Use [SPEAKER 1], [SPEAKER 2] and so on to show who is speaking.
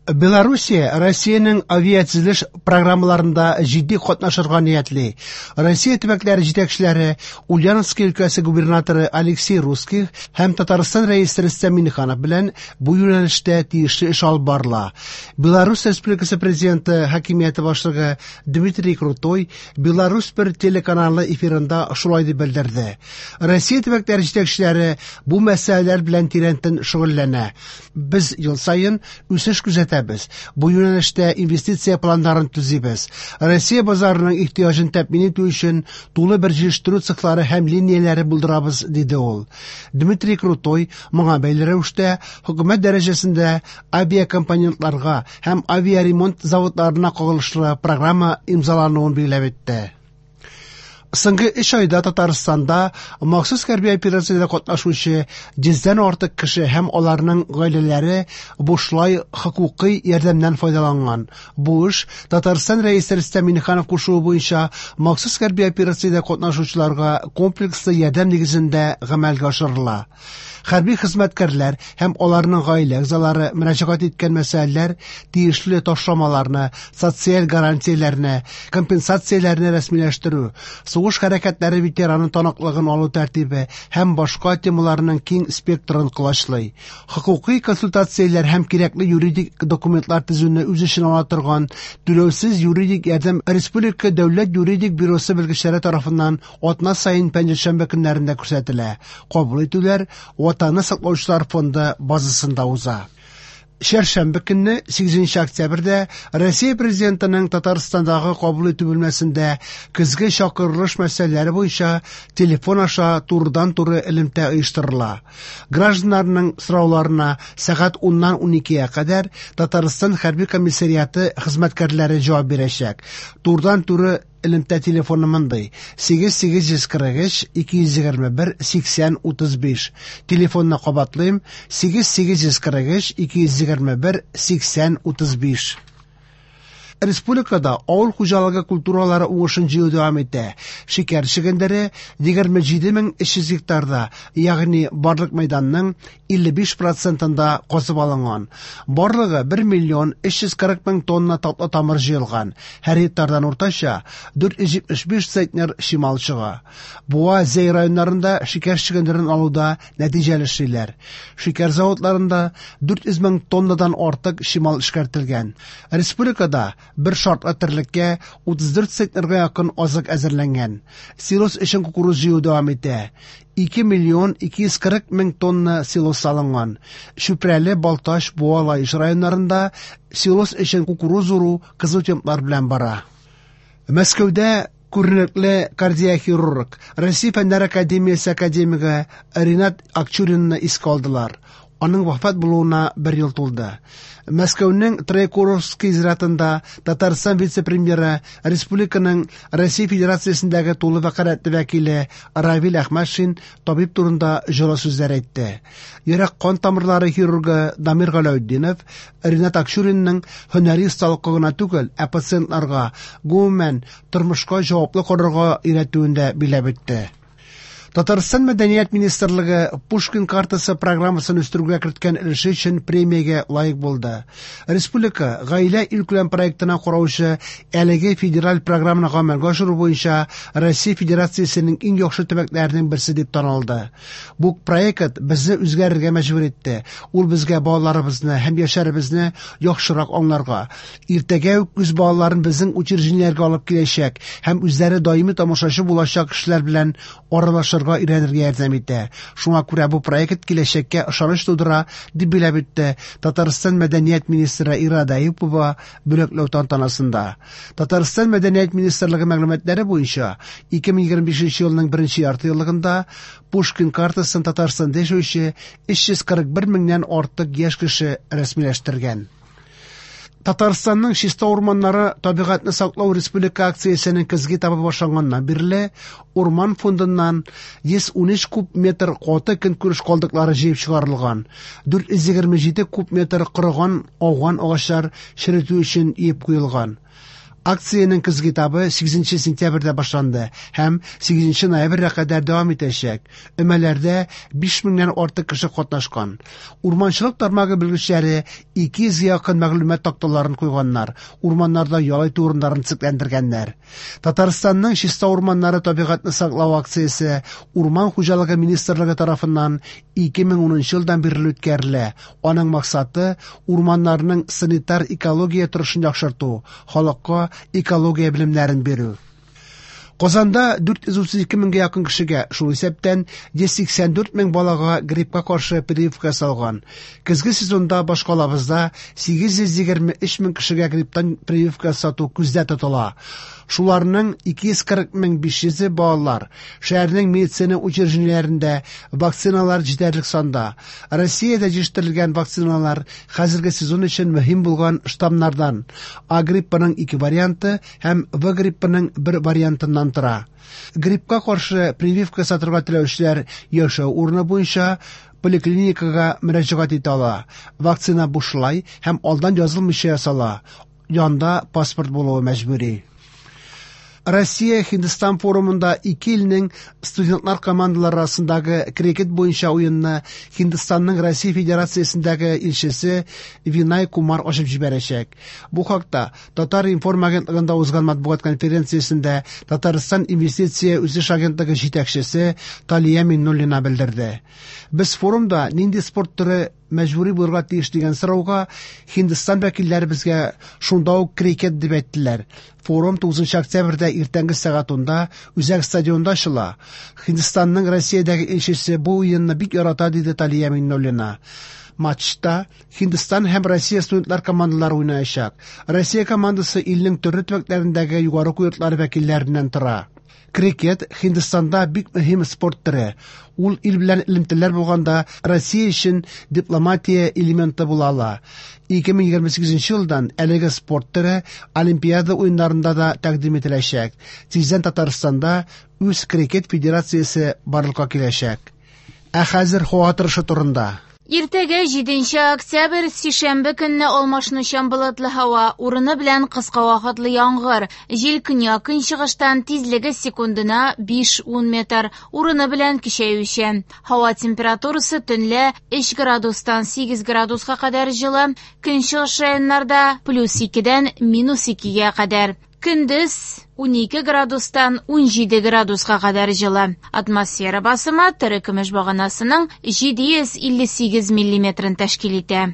[SPEAKER 1] Белоруссия Россиянең авиатөзелеш программаларында җитди катнашырга ниятли. Россия төбәкләре җитәкчеләре Ульяновский өлкәсе губернаторы Алексей Русских һәм Татарстан рәисе Рөстәм Миңнеханов белән бу юнәлештә тиешле эш алып барыла. Беларусь Республикасы президенты хакимияте башлыгы Дмитрий Крутой Беларусь бер телеканалы эфирында шулай дип белдерде. Россия төбәкләре җитәкчеләре бу мәсьәләләр белән тирәнтен шөгыльләнә. Без ел саен үсеш күзәтәбез. Бу юнәлештә инвестиция планнарын төзибез. Россия базарының ихтыяҗын тәэмин итү өчен тулы бер җитештерү цехлары һәм линияләре булдырабыз, диде ул. Дмитрий Крутой моңа бәйле рәвештә хөкүмәт дәрәҗәсендә авиакомпонентларга һәм авиаремонт заводларына кагылышлы программа имзалануын билгеләп үтте. Соңгы 3 айда Татарстанда махсус хәрби операциядә катнашучы 100дән артык кеше һәм аларның гаиләләре бушлай хокукый ярдәмнән файдаланган. Бу эш Татарстан Рәисе Рөстәм Миңнеханов кушуы буенча махсус хәрби операциядә катнашучыларга комплекслы ярдәм нигезендә гамәлгә ашырыла. Хәрби хезмәткәрләр һәм аларның гаилә әгъзалары мөрәҗәгать иткән мәсьәләләр тиешле ташламаларны, социаль гарантияләрне, компенсацияләрне рәсмиләштерү, сугыш хәрәкәтләре ветераны таныклыгын алу тәртибе һәм башка темаларның киң спектрын колачлый. Хокукый консультацияләр һәм кирәкле юридик документлар төзүне үз эченә ала торган түләүсез юридик ярдәм Республика дәүләт юридик бюросы белгечләре тарафыннан атна саен пәнҗешәмбе көннәрендә күрсәтелә. Кабул итүләр Ватанны саклаучылар фонды базасында уза. Чәршәмбе көнне 8 октябрьдә Россия президентының Татарстандагы кабул итү бүлмәсендә көзге чакырылыш мәсьәләләре буенча телефон аша турыдан-туры элемтә оештырыла. Гражданнарның сорауларына сәгать 10-нан 12-гә кадәр Татарстан хәрби комиссариаты хезмәткәрләре җавап бирәчәк. Турыдан-туры элемтә телефоны мондый: 8843 221 80 35. Телефонны кабатлыйм: 8843 221 80 35. Республикада авыл хуҗалыгы культуралары уңышын җыю дәвам итә. Шикәр чөгендере 27300 гектарда, ягъни барлык мәйданның 55%-ында казып алынган. Барлыгы 1 миллион 340 мең тонна татлы тамыр җыелган. Һәр гектардан уртача 475 центнер чимал чыга. Буа, Зәй районнарында шикәр чөгендерен алуда нәтиҗәле эшлиләр. Шикәр заводларында 400 мең тоннадан артык чимал эшкәртелгән. Республикада бер шартлы терлеккә 34 центнерга якын азык әзерләнгән. Силос өчен кукуруз җыю дәвам итә. 2 миллион 240 мең тонна силос салынган. Чүпрәле, Балтач, Буа, Лаеш районнарында силос өчен кукуруз уру кызу темплар белән бара. Мәскәүдә күренекле кардиохирург, Россия Фәннәр академиясе академигы Ринат Акчуринны искә алдылар. Аның вафат булуына бер ел тулды. Мәскәүнең Троекуровский зиратында Татарстан вице-премьеры, республиканың Россия Федерациясендәге тулы вәкаләтле вәкиле Равил Әхмәтшин табиб турында җылы сүзләр әйтте. Йөрәк кан тамырлары хирургы Дамир Галәүтдинов Ринат Акчуринның һөнәри осталыкка гына түгел, ә пациентларга, гомумән, тормышка җаваплы карарга өйрәтүен дә билгеләп үтте. Татарстан Мәдәният министрлыгы Пушкин картасы программасын үстерүгә керткән өлеше өчен премиягә лаек булды. Республика гаилә илкүләм проектына караучы әлеге федераль программаны гамәлгә ашыру буенча Россия Федерациясенең иң яхшы төбәкләренең берсе дип танылды. Бу проект безне үзгәрергә мәҗбүр итте. Ул безгә балаларыбызны һәм яшьләребезне яхшырак аңларга, иртәгә үк үз балаларын безнең учреждениеләргә алып киләчәк һәм үзләре даими тамашачы булачак кешеләр белән аралашырга өйрәнергә ярдәм итә. Шуңа күрә бу проект киләчәккә ышаныч тудыра, дип билгеләп үтте Татарстан Мәдәният министры Ирада Әюпова бүләкләү тантанасында. Татарстан Мәдәният министрлыгы мәгълүматлары буенча 2025 елның беренче ярты еллыгында Пушкин картасын Татарстанда яшәүче 341 меңнән артык яшь кеше рәсмиләштергән. Татарстанның чиста урманнары табигатьне саклау республика акциясенең көзге этабы башланганнан бирле урман фондыннан 113 куб метр каты көнкүреш калдыклары җыеп чыгарылган. 427 куб метр корыган ауган агачлар черетү өчен иеп куелган. Акциянең көзге этабы 8 сентябрьдә башланды һәм 8 ноябрьгә кадәр дәвам итәчәк. Өмәләрдә 5 меңнән артык кеше катнашкан. Урманчылык тармагы белгечләре 200 якын мәгълүмат такталарын куйганнар, урманнарда ял итү урыннарын төзекләндергәннәр. Татарстанның чиста урманнары табигатьне саклау акциясе Урман хуҗалыгы министрлыгы тарафыннан 2010 елдан бирле үткәрелә. Аның максаты урманнарның санитар экология торышын яхшырту, халыкка экология белемнәрен бирү. Казанда 432 меңгә якын кешегә, шул исәптән 184 мең балага гриппка каршы прививка ясалган. Көзге сезонда башкалабызда 823 мең кешегә грипптан прививка ясату күздә тотыла. Шуларның 240 мең 500-е балалар. Шәһәрнең медицина учреждениеләрендә вакциналар җитәрлек санда. Россиядә җитештерелгән вакциналар хәзерге сезон өчен мөһим булган штаммнардан А гриппының ике варианты һәм В гриппының бер вариантыннан тора. Гриппка каршы прививка ясатырга теләүчеләр яшәү урыны буенча поликлиникага мөрәҗәгать итә ала. Вакцина бушлай һәм алдан язылмыйча ясала. Янда паспорт булуы мәҗбүри. Россия Һиндстан форумында ике илнең студентлар командалары арасындагы крикет буенча уенны Һиндстанның Россия Федерациясендәге илчесе Винай Кумар ачып җибәрәчәк. Бу хакта Татар-информ агентлыгында узган матбугат конференциясендә Татарстан инвестиция үсеш агентлыгы җитәкчесе Талия Миннуллина белдерде. Без форумда нинди спорт төре мәҗбүри булырга тиеш дигән сорауга Һиндстан вәкилләре безгә шунда ук крикет дип әйттеләр. Форум 9 октябрьдә иртәнге сәгать 10-да Үзәк стадионда ачыла. Һиндстанның Россиядәге илчесе бу уенны бик ярата, диде Талия Миннуллина. Матчта Һиндстан һәм Россия студентлар командалары уйнаячак. Россия командасы илнең төрле төбәкләрендәге югары уку йортлары вәкилләреннән тора. Крикет Һиндстанда бик мөһим спорт төре. Ул ил белән элемтәләр булганда Россия өчен дипломатия элементы була ала. 2028 елдан әлеге спорт төре Олимпиада уеннарында да тәкъдим ителәчәк. Тиздән Татарстанда үз крикет федерациясе барлыкка киләчәк. Ә хәзер һава торышы турында.
[SPEAKER 2] Иртәгә 7 октябрь, сишәмбе көнне алмашынучан болытлы һава, урыны белән кыска вакытлы яңгыр. Җил көньяк-көнчыгыштан, тизлеге секундына 5-10 метр, урыны белән көчәючән. Һава температурасы төнлә 3 градустан 8 градуска кадәр җылы, көнчыгыш районнарда плюс 2-дән минус 2-гә кадәр. Көндез 12 градустан 17 градуска кадәр җылы. Атмосфера басымы терекөмеш баганасының 758 миллиметрын тәшкил итә.